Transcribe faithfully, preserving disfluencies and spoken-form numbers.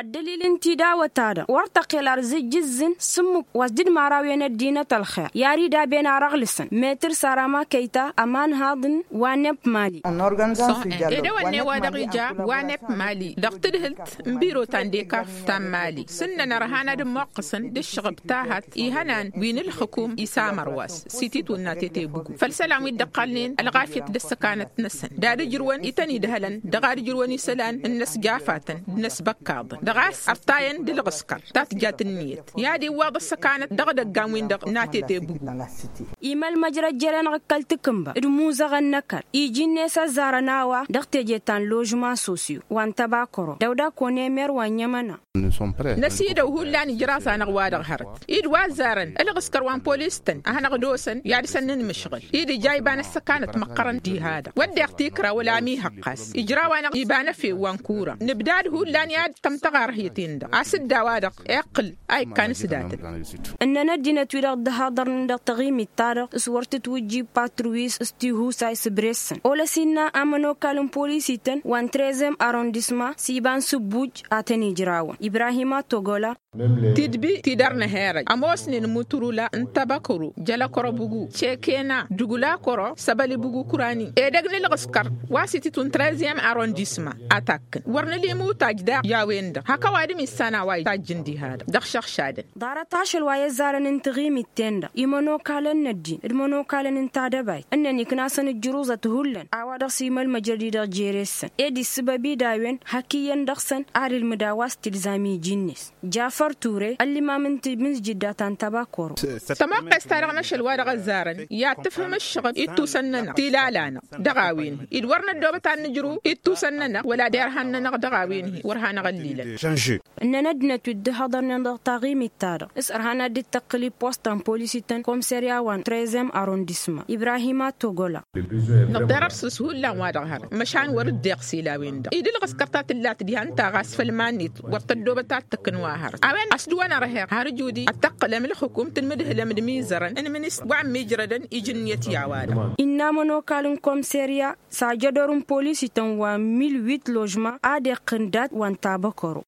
Ăddălil n-tidawăt-ta-dăɣ wăr tăqqel ar zǝjjǝzzǝn s-ǝmmǝk wa s-dd-maraw-en ăddinăt ălxer i-ad-idaben ar ăɣlǝsăn metăr sarama kăyta ămanhaḍ n-wanep mali. Edăwănne wa dăɣ-ija wanep mali dăɣ-tǝdhǝlt n-biro ta n-dekaf ta n-mali s-ǝnnăn ărhan ad-ămmoqqăsăn d-ǝššăɣăb tahăt ihănan wi n-ǝlxǝkum isamăr wa-s s-ititwǝnna tetebǝgu făll-isălan wi dd-ăqqalnen ălɣafyăt d-ăssăkanăt-năsăn d-ad-ǝjrǝwăn ităn-idhălăn dăɣ-ad-ǝjrǝwăn isălan n-inăsjafatăn d-inăsbăkkaḍăn dăɣ-a-s ăṭṭayăn d-ǝlɣǝskăr ta tǝjjat ǝnniyăt i-ad-iwwaḍ ăssăkanăt dăɣ-edăggan-win-dăɣ n-atetebǝgu. Imălmăjrăd jere-năɣ ǝkkăl-tǝkǝnba d-imuzăɣăn n-ăkall iji-net ăzzarăn a-wa dăɣ-teje ta n-ložma sosyo wa n-tăbakăro dăw-dak onemer wa n-iămăna. Năsidăw hullan ijraẓ-anăɣ wa-dăɣ hărăt-i d-wa ăzzarăn ălɣǝskăr wa n-polis-tăn a hanăɣ-dd-osăn i-ad-săn n-inmǝšɣǝl-i d-ija iba n-ăssăkanăt măqqărăn diha-dăɣ wădden tikra wăla ămihăqqas ijraw-anăɣ iba n-efew wa n-kura nǝbdad hullan i-ad-tăm tăɣarhǝyăt-in-dăɣ a-s dd-a-wa-dăɣ iqqǝl a ikkan s-datăn. Ǝnnăn ăddinăt-wi-dăɣ dd-haḍărnen dăɣ-taɣimit-ta-dăɣ s-wăr tǝtwǝjjib patruwi s-tihusay s-bresăn olăs innă amănokal n-polis-ităn wa n-trezem arrondisma s-iba n-sǝbbuj a tăn-ijrawăn ibrahima togola. Tidbi ti dăr-năherăj ămoosnen muturula n-tabăkăru jălăkărăbugu cekena dugulakără săbălibugu kurani edăgg n-ǝlɣǝskăr wa s-ititwǝn trezem arrondisma a takkăn wăr nǝla imutaj daɣ i-a-wen-dăɣ hak ăwadǝm issan a-wa itajjǝn diha-dăɣ dăɣ-išăɣšadăn. Ḍarăt ašăl wa i-ăzzarăn n-taɣimit-ten-dăɣ imănokalăn n-ăddin d-imănokalăn n-tadăbayt ǝnnăn iknasăn ǝjjǝruẓăt hullan a-wa dăɣ-s imălmăjrăd-i-dăɣ jere-săn ed issǝbăb-dd a-wen hak iyyăn dăɣ-săn ad-ilmǝd a-wa s-tilzam iji-net. Jafăr ture ăllimam n-timǝzjǝdda ta n-tabakoro. Tămoqqes-ta-dăɣ n-ašăl wa dăɣ-ăzzarăn i-ad-tǝfhǝm ǝššăɣǝb ittusăn-nănăɣ tilala-năɣ dăɣ-a-wen-hi d-wăr năddoobăt ad-nǝjrǝw ittusăn-nănăɣ wăla derhan-nănăɣ dăɣ-a-wen-hi wăr hanăɣ-ăllilăn. Ǝnnăn ăddinăt wi dd-hăḍărnen dăɣ-taɣimit-ta-dăɣ s-ărhan ad-dd-tăqqǝl i-posta n-polis-ităn komserya wa n-trezem arrondisma ibrahima togola. Năḍḍerăr săr-s hullan wa dăɣ-hărăt măšan wăr-dd-iɣsel a-wen-dăɣ i-dd-ǝlɣǝskăr ta tǝllat diha n-taɣas făll-iman-net wăr tăddoobăt ad-tǝkkǝn wa hărăt a-wen a-s dd-wăn ărher har ǝjud-i ad-tăqqǝlăm ǝlxǝkum tǝlmǝdhǝlăm d-imizărăn n-imǝnǝs wa ămmiijrădăn iji ǝnniyăt i-a-wa-dăɣ. Innă amănokal n-komserya s-ajădor n-polis-ităn wa n-milwit ložma ad-iqqǝn dat wa n-tabăkăro.